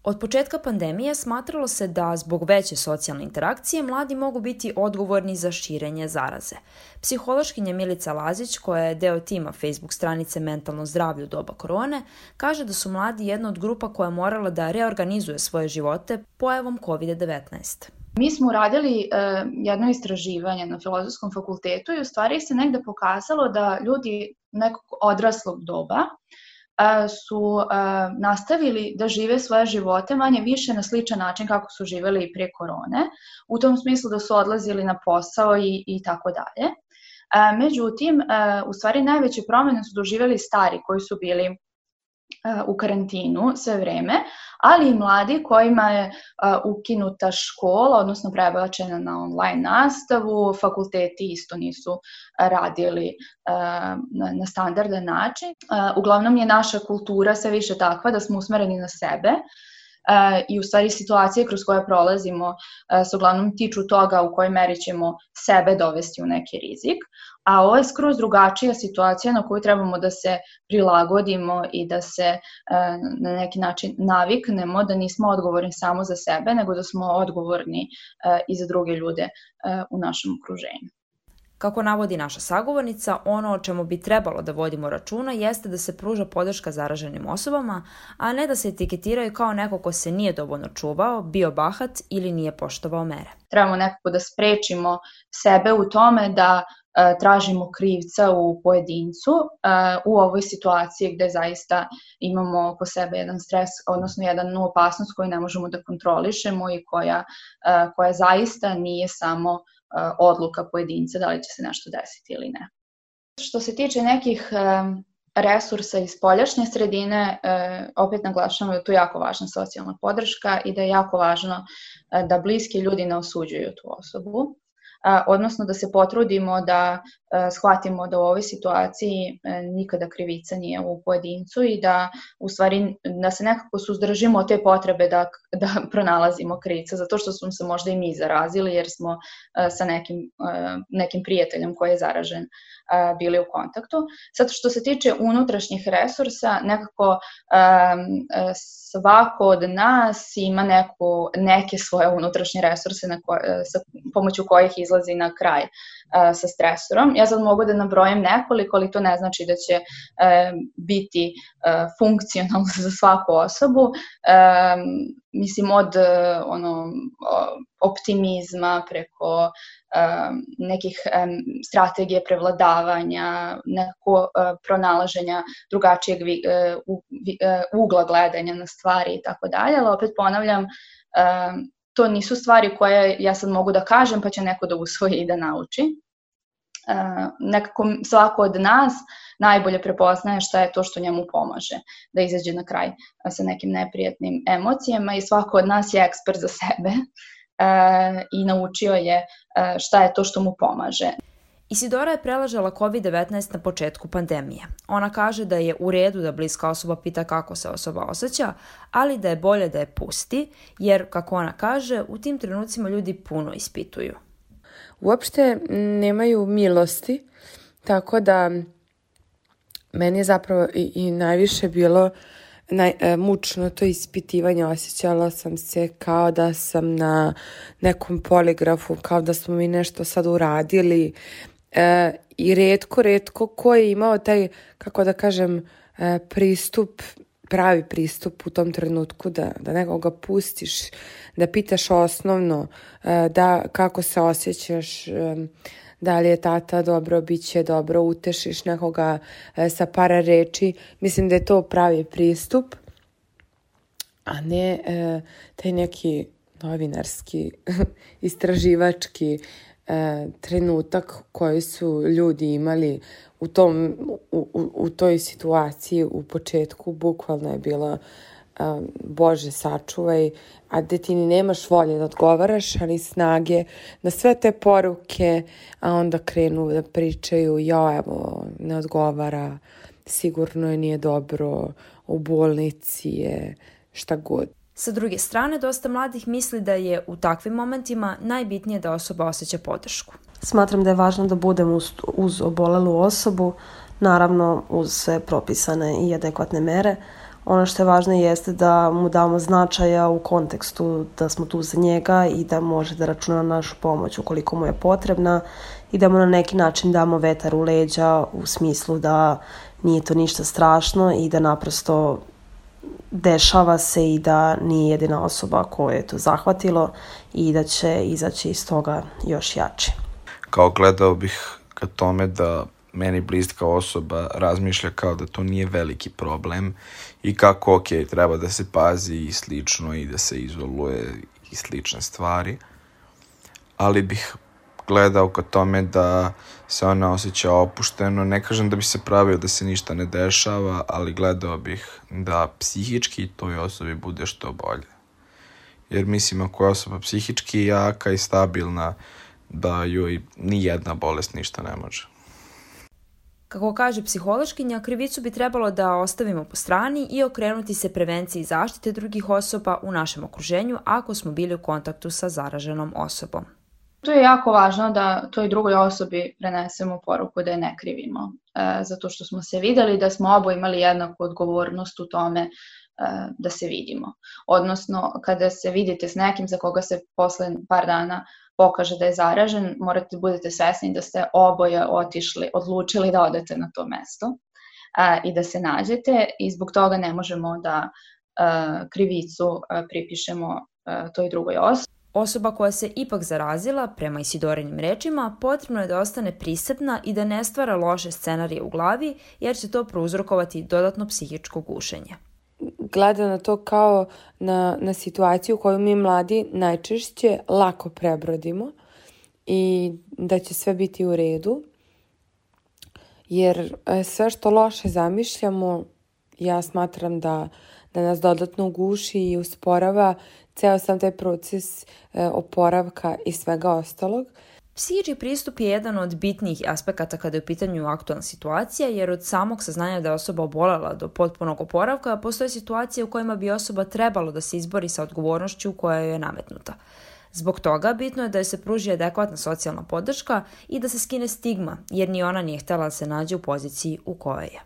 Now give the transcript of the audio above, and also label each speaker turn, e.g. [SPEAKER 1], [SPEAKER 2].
[SPEAKER 1] Od početka pandemije smatralo se da zbog veće socijalne interakcije mladi mogu biti odgovorni za širenje zaraze. Psihološkinja Milica Lazić, koja je deo tima Facebook stranice Mentalno zdravlje u doba korone, kaže da su mladi jedna od grupa koja je morala da reorganizuje svoje živote pojavom COVID-19.
[SPEAKER 2] Mi smo uradili jedno istraživanje na Filozofskom fakultetu i u stvari se negde pokazalo da ljudi nekog odraslog doba su nastavili da žive svoje živote manje više na sličan način kako su živeli i pre korone, u tom smislu da su odlazili na posao i tako dalje. Međutim, u stvari najveće promene su doživjeli stari koji su bili u karantinu sve vreme, ali i mladi kojima je ukinuta škola, odnosno prebačena na online nastavu, fakulteti isto nisu radili na standardan način. Uglavnom je naša kultura sve više takva da smo usmereni na sebe i u stvari situacije kroz koje prolazimo se uglavnom tiču toga u kojoj meri ćemo sebe dovesti u neki rizik, a ovo je skroz drugačija situacija na koju trebamo da se prilagodimo i da se na neki način naviknemo, da nismo odgovorni samo za sebe, nego da smo odgovorni i za druge ljude u našem okruženju.
[SPEAKER 1] Kako navodi naša sagovornica, ono o čemu bi trebalo da vodimo računa jeste da se pruža podrška zaraženim osobama, a ne da se etiketiraju kao neko ko se nije dovoljno čuvao, bio bahat ili nije poštovao mere.
[SPEAKER 2] Trebamo nekako da sprečimo sebe u tome da tražimo krivca u pojedincu u ovoj situaciji gde zaista imamo oko sebe jedan stres, odnosno jednu opasnost koju ne možemo da kontrolišemo i koja zaista nije samo odluka pojedinca da li će se nešto desiti ili ne. Što se tiče nekih resursa iz spoljašnje sredine, opet naglašavamo da je tu jako važna socijalna podrška i da je jako važno da bliski ljudi ne osuđuju tu osobu, odnosno da se potrudimo da shvatimo da u ovoj situaciji nikada krivica nije u pojedincu i da u stvari da se nekako suzdržimo od te potrebe da pronalazimo krivca, zato što smo se možda i mi zarazili jer smo sa nekim prijateljem koji je zaražen bili u kontaktu. Sad što se tiče unutrašnjih resursa, nekako svako od nas ima neke svoje unutrašnje resurse sa pomoću kojih izlazi na kraj sa stresorom. Ja sad mogu da nabrojim nekoliko, ali to ne znači da će biti funkcionalno za svaku osobu. Mislim od optimizma preko nekih strategije prevladavanja, nekako pronalaženja drugačijeg ugla gledanja na stvari i tako dalje, ali opet ponavljam, to nisu stvari koje ja sad mogu da kažem pa će neko da usvoji i da nauči. Nekako svako od nas najbolje prepoznaje šta je to što njemu pomaže da izađe na kraj sa nekim neprijatnim emocijama i svako od nas je ekspert za sebe i naučio je šta je to što mu pomaže.
[SPEAKER 1] Isidora je preležala COVID-19 na početku pandemije. Ona kaže da je u redu da bliska osoba pita kako se osoba osjeća, ali da je bolje da je pusti, jer, kako ona kaže, u tim trenucima ljudi puno ispituju.
[SPEAKER 3] Uopšte nemaju milosti, tako da meni je zapravo i najviše bilo mučno to ispitivanje. Osjećala sam se kao da sam na nekom poligrafu, kao da smo mi nešto sad uradili i retko ko je imao taj, kako da kažem, pravi pristup u tom trenutku da nekoga pustiš, da pitaš osnovno, da kako se osjećaš, da li je tata dobro, bit će dobro, utešiš nekoga sa par reči. Mislim da je to pravi pristup, a ne taj neki novinarski, istraživački trenutak koji su ljudi imali u toj situaciji u početku. Bukvalno je bilo Bože sačuvaj, a da ti ni nemaš volje da odgovaraš, ali snage na sve te poruke, a onda krenu da pričaju, evo, ne odgovara, sigurno je nije dobro, u bolnici je, šta god.
[SPEAKER 1] Sa druge strane, dosta mladih misli da je u takvim momentima najbitnije da osoba osjeća podršku.
[SPEAKER 4] Smatram da je važno da budem uz obolelu osobu, naravno uz sve propisane i adekvatne mere. ono što je važno jeste da mu damo značaja u kontekstu da smo tu za njega i da može da računa na našu pomoć ukoliko mu je potrebna i da mu na neki način damo vetar u leđa u smislu da nije to ništa strašno i da naprosto dešava se i da nije jedina osoba koju je to zahvatilo i da će izaći iz toga još jače.
[SPEAKER 5] Kao gledao bih ka tome da meni bliska osoba razmišlja kao da to nije veliki problem i kako treba da se pazi i slično i da se izoluje i slične stvari, ali bih gledao ka tome da se ona osjeća opušteno. Ne kažem da bi se pravio da se ništa ne dešava, ali gledao bih da psihički toj osobi bude što bolje. Jer mislim, ako je osoba psihički jaka i stabilna, da joj ni jedna bolest ništa ne može.
[SPEAKER 1] Kako kaže psihološkinja, krivicu bi trebalo da ostavimo po strani i okrenuti se prevenciji zaštite drugih osoba u našem okruženju ako smo bili u kontaktu sa zaraženom osobom.
[SPEAKER 2] Tu je jako važno da toj drugoj osobi prenesemo poruku da je ne krivimo, zato što smo se videli da smo oboje imali jednaku odgovornost u tome da se vidimo. Odnosno, kada se vidite s nekim za koga se posle par dana pokaže da je zaražen, morate da budete svesni da ste oboje odlučili da odete na to mesto i da se nađete i zbog toga ne možemo da krivicu pripišemo toj drugoj osobi.
[SPEAKER 1] Osoba koja se ipak zarazila, prema Isidorinim rečima, potrebno je da ostane prisebna i da ne stvara loše scenarije u glavi, jer će to prouzrokovati dodatno psihičko gušenje.
[SPEAKER 3] Gleda na to kao na situaciju koju mi mladi najčešće lako prebrodimo i da će sve biti u redu, jer sve što loše zamišljamo, ja smatram da nas dodatno guši i usporava ceo sam taj proces oporavka i svega ostalog.
[SPEAKER 1] Psihički pristup je jedan od bitnijih aspekata kada je u pitanju aktualna situacija, jer od samog saznanja da je osoba obolela do potpunog oporavka postoje situacije u kojima bi osoba trebalo da se izbori sa odgovornošću koja joj je nametnuta. Zbog toga bitno je da joj se pruži adekvatna socijalna podrška i da se skine stigma, jer ni ona nije htjela da se nađe u poziciji u kojoj je.